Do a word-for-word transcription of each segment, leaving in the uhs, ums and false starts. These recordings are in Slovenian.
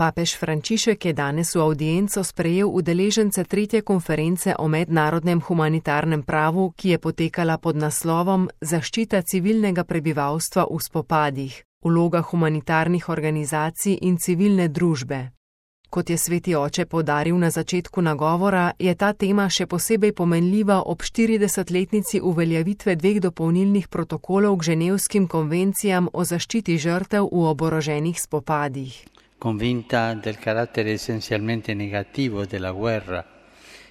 Papež Frančišek je danes v avdienco sprejel udeležence tretje konference o mednarodnem humanitarnem pravu, ki je potekala pod naslovom Zaščita civilnega prebivalstva v spopadih, vloga humanitarnih organizacij in civilne družbe. Kot je sveti oče poudaril na začetku nagovora, je ta tema še posebej pomenljiva ob štiridesetletnici uveljavitve dveh dopolnilnih protokolov k ženevskim konvencijam o zaščiti žrtev v oboroženih spopadih. Convinta del carattere essenzialmente negativo della guerra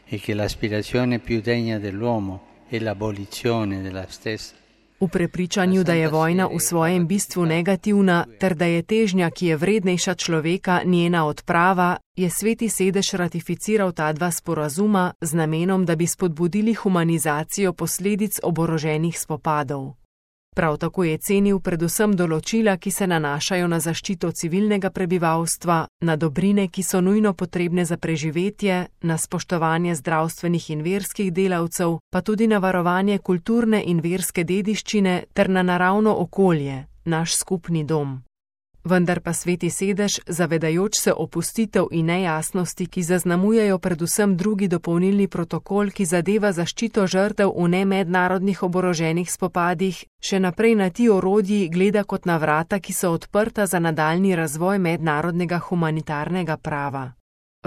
e che l'aspirazione più degna dell'uomo è l'abolizione della stessa. V prepričanju, da je vojna v svojem bistvu negativna, ter da je težnja, ki je vrednejša človeka, njena odprava, je sveti sedež ratificiral ta dva sporazuma z namenom, da bi spodbudili humanizacijo posledic oboroženih spopadov. Prav tako je cenil predvsem določila, ki se nanašajo na zaščito civilnega prebivalstva, na dobrine, ki so nujno potrebne za preživetje, na spoštovanje zdravstvenih in verskih delavcev, pa tudi na varovanje kulturne in verske dediščine ter na naravno okolje, naš skupni dom. Vendar pa sveti sedež, zavedajoč se opustitev in nejasnosti, ki zaznamujejo predvsem drugi dopolnilni protokol, ki zadeva zaščito žrtev v nemednarodnih oboroženih spopadih, še naprej na ti orodji gleda kot na vrata, ki so odprta za nadaljnji razvoj mednarodnega humanitarnega prava.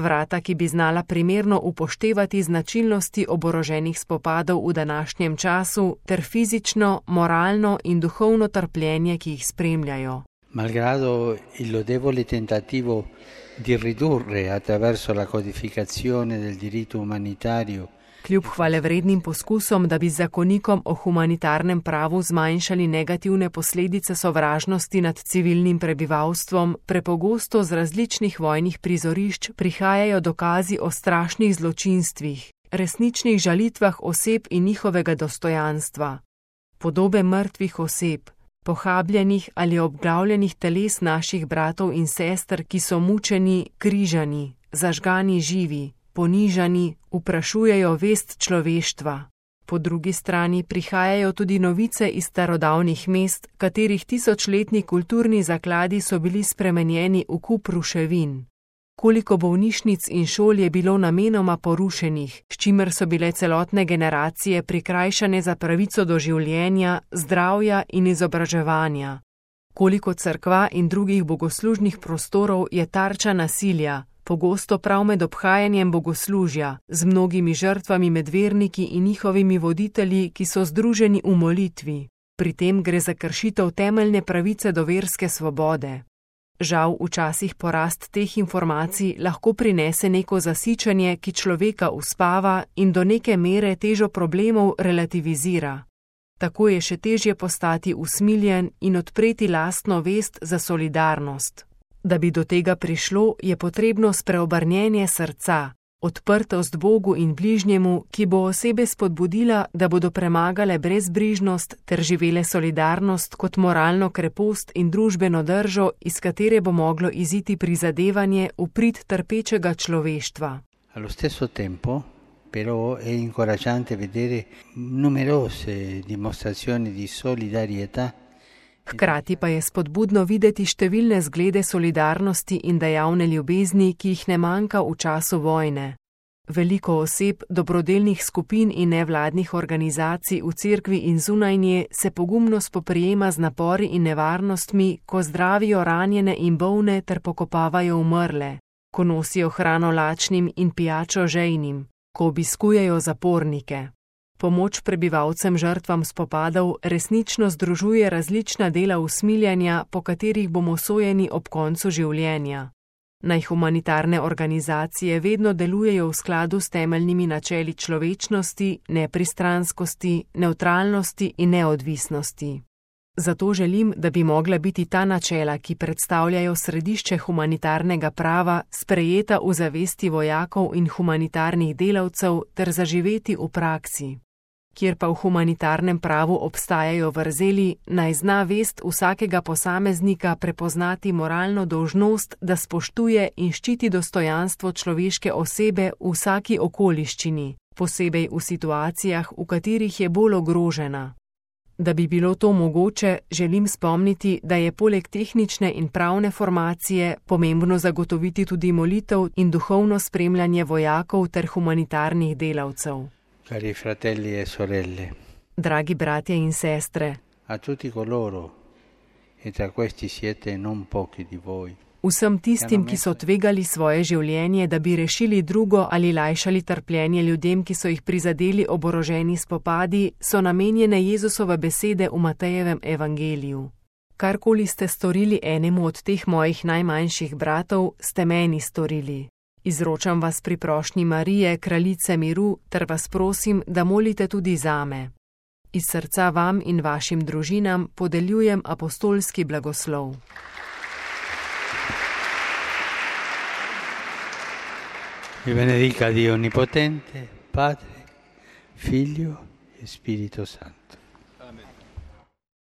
Vrata, ki bi znala primerno upoštevati značilnosti oboroženih spopadov v današnjem času ter fizično, moralno in duhovno trpljenje, ki jih spremljajo. Malgrado il lodevole tentativo di ridurre attraverso la codificazione del diritto umanitario. Kljub hvalevrednim poskusom, da bi z zakonikom o humanitarnem pravu zmanjšali negativne posledice sovražnosti nad civilnim prebivalstvom, prepogosto z različnih vojnih prizorišč prihajajo dokazi o strašnih zločinstvih, resničnih žalitvah oseb in njihovega dostojanstva. Podobe mrtvih oseb, pohabljenih ali obglavljenih teles naših bratov in sester, ki so mučeni, križani, zažgani živi, ponižani, vprašujejo vest človeštva. Po drugi strani prihajajo tudi novice iz starodavnih mest, katerih tisočletni kulturni zakladi so bili spremenjeni v kup ruševin. Koliko bolnišnic in šol je bilo namenoma porušenih, s čimer so bile celotne generacije prikrajšane za pravico do življenja, zdravja in izobraževanja. Koliko cerkva in drugih bogoslužnih prostorov je tarča nasilja, pogosto prav med obhajanjem bogoslužja, z mnogimi žrtvami med verniki in njihovimi voditelji, ki so združeni v molitvi. Pri tem gre za kršitev temeljne pravice do verske svobode. Žal, včasih porast teh informacij lahko prinese neko zasičanje, ki človeka uspava in do neke mere težo problemov relativizira. Tako je še težje postati usmiljen in odpreti lastno vest za solidarnost. Da bi do tega prišlo, je potrebno spreobrnjenje srca, odprtost Bogu in bližnjemu, ki bo osebe spodbudila, da bodo premagale brezbrižnost ter živele solidarnost kot moralno krepost in družbeno držo, iz katere bo moglo iziti prizadevanje v prid trpečega človeštva. Allo stesso tempo, però, è incoraggiante vedere numerose dimostrazioni di solidarietà. Hkrati pa je spodbudno videti številne zglede solidarnosti in dejavne ljubezni, ki jih ne manjka v času vojne. Veliko oseb, dobrodelnih skupin in nevladnih organizacij v cerkvi in zunaj nje se pogumno spoprijema z napori in nevarnostmi, ko zdravijo ranjene in bolne ter pokopavajo umrle, ko nosijo hrano lačnim in pijačo žejnim, ko obiskujejo zapornike. Pomoč prebivalcem žrtvam spopadov resnično združuje različna dela usmiljanja, po katerih bomo sojeni ob koncu življenja. Naj humanitarne organizacije vedno delujejo v skladu s temeljnimi načeli človečnosti, nepristranskosti, nevtralnosti in neodvisnosti. Zato želim, da bi mogla biti ta načela, ki predstavljajo središče humanitarnega prava, sprejeta v zavesti vojakov in humanitarnih delavcev ter zaživeti v praksi. Kjer pa v humanitarnem pravu obstajajo vrzeli, naj zna vest vsakega posameznika prepoznati moralno dolžnost, da spoštuje in ščiti dostojanstvo človeške osebe v vsaki okoliščini, posebej v situacijah, v katerih je bolj ogrožena. Da bi bilo to mogoče, želim spomniti, da je poleg tehnične in pravne formacije pomembno zagotoviti tudi molitev in duhovno spremljanje vojakov ter humanitarnih delavcev. Cari fratelli e sorelle, dragi bratje in sestre, a tutti coloro, e tra questi siete non pochi di voi, vsem tistim, ki so tvegali svoje življenje, da bi rešili drugo ali lajšali trpljenje ljudem, ki so jih prizadeli oboroženi spopadi, so namenjene Jezusove besede v Matejevem evangeliju. Karkoli ste storili enemu od teh mojih najmanjših bratov, ste meni storili. Izročam vas pri prošnji Marije, kraljice miru, ter vas prosim, da molite tudi zame. Iz srca vam in vašim družinam podeljujem apostolski blagoslov. Vi benedica Dio Onnipotente, Padre, Figlio e Spirito Santo.